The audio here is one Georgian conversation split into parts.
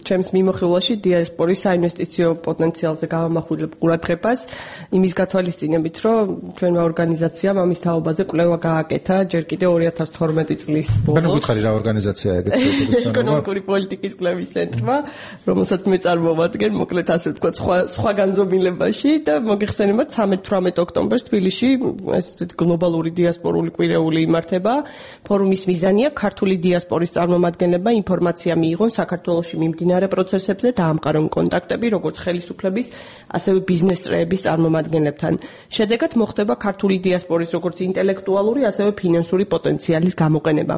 ჩემს მიმოხილვაში დიასპორის საინვესტიციო პოტენციალზე გავამახვილებ ყურადღებას, იმის გათვალისწინებით, რომ ჩვენმა ორგანიზაციამ ამის თაობაზე კვლევა გააკეთა ჯერ კიდევ 2012 წლის ბოლოს. ანუ გითხარი რა ორგანიზაციაა ეგეც? ეკონომიკური პოლიტიკის კვლევის ცენტრმა, რომელსაც მე წარმოვადგენ, მოკლედ ასე ვთქვათ, სხვა განზომილებაში და მოგიხსენებათ 13-18 ოქტომბერს თბილისში ეს გლობალური დიასპორული კვირეული იმართება. ფორუმის მიზანია ქართული დიასპორის წარმომადგენლებმა ინფორმაცია მიიღონ საქართველოში მიმდინარე პროცესებზე და ამყარონ კონტაქტები როგორც ხელისუფლების, ასევე ბიზნეს წრეების წარმომადგენლებთან. შედეგად მოხდება ქართული დიასპორის როგორც ინტელექტუალური, ასევე ფინანსური პოტენციალის გამოყენება.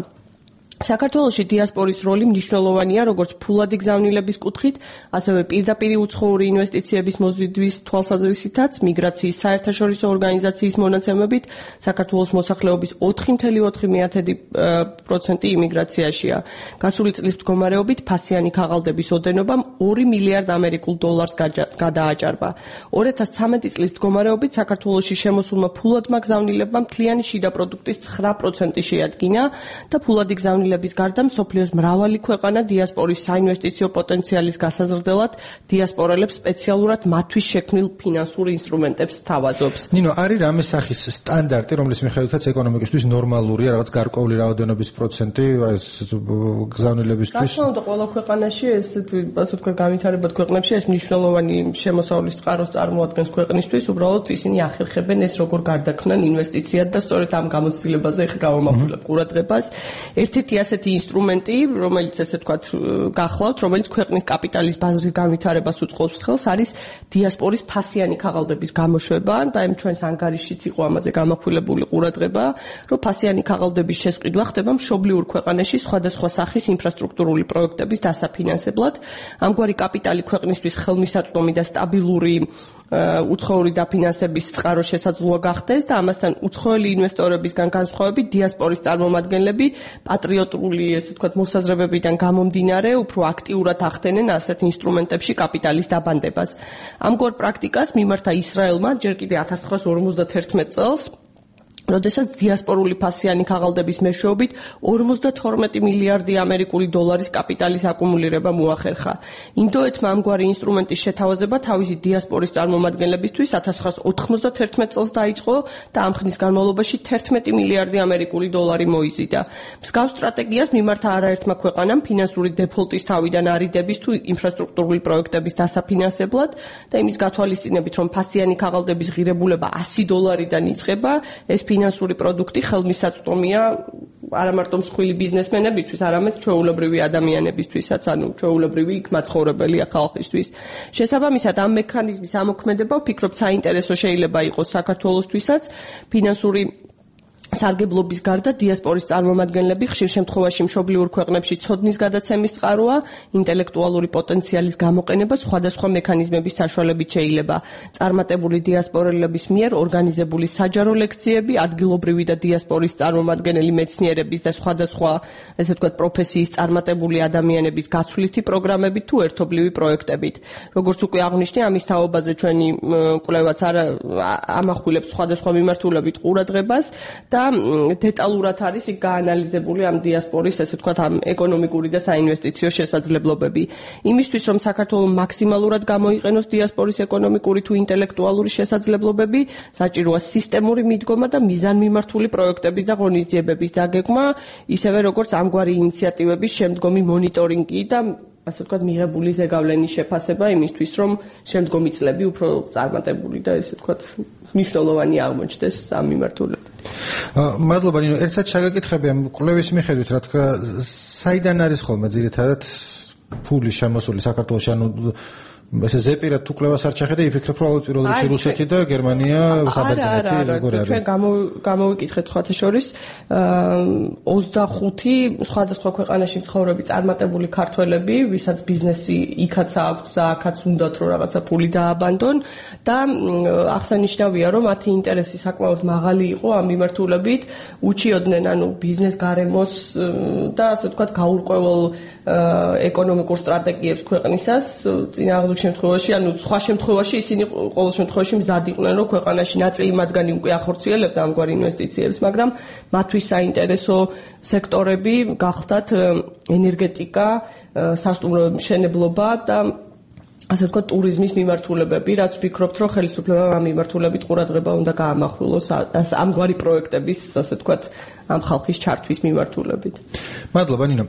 საქართველოში დიასპორის როლი მნიშვნელოვანია როგორც ფულადი გზავნილების კუთხით, ასევე პირდაპირი უცხოური ინვესტიციების მოზიდვის თვალსაზრისითაც, მიგრაციის საერთაშორისო ორგანიზაციის მონაცემებით, საქართველოს მოსახლეობის 4.4% იმიგრაციაშია. გასული წლის მდგომარეობით ფასიანი ქაღალდების ოდენობა 2 მილიარდ ამერიკულ დოლარს გადააჭარბა. 2013 წლის მდგომარეობით საქართველოში შემოსულმა ფულადმა გზავნილებმა მთლიანი შიდა პროდუქტის 9% შეადგინა და ფულადი გზავნილების გარდა მსოფლიოს მრავალი ქვეყანა დიასპორის საინვესტიციო პოტენციალის გასაზრდელად დიასპორელებს სპეციალურად მათთვის შექმნილ ფინანსურ ინსტრუმენტებს სთავაზობს. ნინო, არის რამე სახის სტანდარტი, რომლის მიხედვითაც ეკონომიკისთვის ნორმალურია რაღაც გარკვეული რაოდენობის პროცენტი ეს გზავნილებისთვის? რა თქმა უნდა, ყველა ქვეყანაში ესეთი, ასე ვთქვათ, განვითარებად ქვეყნებში ეს მნიშვნელოვანი შემოსავლის წყაროს წარმოადგენს ქვეყნისთვის, უბრალოდ ისინი ახერხებენ ეს როგორ გარდაქმნან ინვესტიციად და სწორედ ამ გამოცდილებაზე ხა გავამახვილებ ყურადღებას. ერთ-ერთი ასეთი ინსტრუმენტი, რომელიც ესე ვთქვათ გახლავთ, რომელიც ქვეყნის კაპიტალის ბაზრის განვითარებას უწყობს ხელს, არის დიასპორის ფასიანი ქაღალდების გამოშვება და იმ ჩვენს ანგარიშიც იყო ამაზე გამახვილებული ყურადღება, რომ ფასიანი ქაღალდების შესყიდვა ხდება მშობლიურ ქვეყანაში სხვადასხვა სახის ინფრასტრუქტურული პროექტების დასაფინანსებლად. ამგვარი კაპიტალი ქვეყნისთვის ხელმისაწვდომი და სტაბილური უცხოური დაფინანსების წყარო შესაძლოა გახდეს და ამასთან უცხოელი ინვესტორებისგან განსხვავებით დიასპორის წარმომადგენლები პატრიოტული, ესე ვთქვათ, მოსაზრებებიდან გამომდინარე, უფრო აქტიურად ახდენენ ასეთ ინსტრუმენტებში კაპიტალის დაბანდებას. ამგვარ პრაქტიკას მიმართა ისრაელმა ჯერ კიდევ 1951 წელს, როდესაც დიასპორული ფასიანი ქაღალდების მეშვეობით 52 მილიარდი ამერიკული დოლარის კაპიტალის აკუმულირება მოახერხა. ინდოეთმა ამგვარი ინსტრუმენტის შეთავაზება თავისი დიასპორის წარმომადგენლებისთვის 1991 წელს დაიწყო და ამ ხნის განმავლობაში 11 მილიარდი ამერიკული დოლარი მოიზიდა. მსგავს სტრატეგიას მიმართა არაერთმა ქვეყანამ ფინანსური დეფოლტის თავიდან არიდების თუ ინფრასტრუქტურული პროექტების დასაფინანსებლად და იმის გათვალისწინებით, რომ ფასიანი ქაღალდების ღირებულება $100-დან იწყება, ეს ფინანსური პროდუქტი ხელმისაწვდომია არა მარტო მსხვილი ბიზნესმენებისთვის, არამედ ჩვეულებრივი ადამიანებისთვისაც, ანუ ჩვეულებრივი იქ მაცხოვრებელი ხალხისთვის. შესაბამისად, ამ მექანიზმის ამოქმედება ვფიქრობ საინტერესო შეიძლება იყოს საქართველოსთვისაც. ფინანსური სარგებლობის გარდა დიასპორის წარმომადგენლები ხშირ შემთხვევაში მშობლიურ ქვეყნებში ცოდნის გადაცემის წყაროა, ინტელექტუალური პოტენციალის გამოყენება სხვადასხვა მექანიზმების საშუალებით შეიძლება. წარმატებული დიასპორელების მიერ ორგანიზებული საჯარო ლექციები, ადგილობრივი და დიასპორის წარმომადგენელი მეცნიერების და სხვადასხვა, ესე ვთქვათ, პროფესიის წარმატებული ადამიანების გაცვლითი პროგრამებით თუ ერთობლივი პროექტებით. როგორც უკვე აღვნიშნე, ამის თაობაზე ჩვენი კვლევაც ამახვილებს სხვადასხვა მიმართულებით ყურადღებას და დეტალურად არის იქ გაანალიზებული ამ დიასპორის, ესე ვთქვათ, ამ ეკონომიკური და საინვესტიციო შესაძლებლობები. იმისთვის, რომ საქართველოს მაქსიმალურად გამოიყენოს დიასპორის ეკონომიკური თუ ინტელექტუალური შესაძლებლობები, საჭიროა სისტემური მიდგომა და მიზანმიმართული პროექტების და ღონისძიებების დაგეგმა, ისევე როგორც ამგვარი ინიციატივების შემდგომი მონიტორინგი და ასე ვთქვათ, მიღებული ზეგავლენის შეფასება იმისთვის, რომ შემდგომი წლები უფრო წარმატებული და ესე ვთქვათ, მნიშვნელოვანი აღმოჩნდეს ამ მიმართულებით. მადლობა, ნინო, ერთად შეგაკითხები ამ კვლევის მიხედვით, რა თქმა, საიდან არის ხოლმე ძირითადად ფული შემოსული საქართველოში, ანუ ესე ზეპირად თუ კვლევას არ ჩახედე, იფიქრებ, რომ ალბათ პირველ რიგში რუსეთი და გერმანია საბერძნეთი როგორ არის. ჩვენ გამოვიკითხეთ სხვათა შორის 25 სხვადასხვა ქვეყანაში მცხოვრები წარმატებული ქართველები, ვისაც ბიზნესი იქაც აქვს და აქაც უნდათ რომ რაღაცა ფული დააბანდონ და აღსანიშნავია, რომ მათი ინტერესი საკმაოდ მაღალი იყო ამ მიმართულებით, უჩიოდნენ ანუ ბიზნეს გარემოს და ასე ვთქვათ, გაურკვეველ ეკონომიკურ სტრატეგიებს ქვეყნისას, წინააღმდეგ პირველ შემთხვევაში, ანუ სხვა შემთხვევაში ისინი ყოველ შემთხვევაში მზად იყვნენ, რომ ქვეყანაში ნაწილი მათგანი უკვე ახორციელებდა ამგვარ ინვესტიციებს, მაგრამ მათთვის საინტერესო სექტორები გახდათ ენერგეტიკა, სასტუმრო მშენებლობა და ასე ვთქვათ, ტურიზმის მიმართულებები, რაც ვფიქრობთ, რომ ხელისუფლებამ ამ მიმართულებით ყურადღება უნდა გაამახვილოს ამგვარი პროექტების, ასე ვთქვათ, ამ ხალხის ჩართვის მიმართულებით. მადლობა, ნინო.